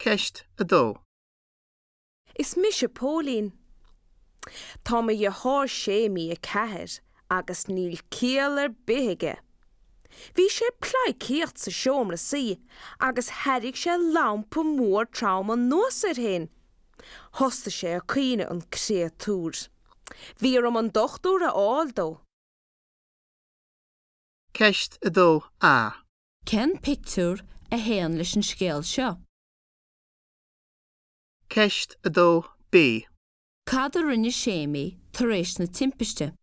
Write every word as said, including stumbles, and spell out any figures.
Ceist a dó. Is mise Póilín. Tá mo dheartháir Séimí a ceathair agus níl ciall ar bith aige. Bhí sé ag pleidhcíocht sa seomra suí agus tharraing sé lampa mór trom anuas air féin. Thosaigh sé ag caoineadh an créatúr. Bhí orm an dochtúir a fháil dó. Ceist a dó A. Cén pictiúr a théann leis an scéal seo? Ceist a dó B. Cad a rinne Séimí tar éis na timpiste?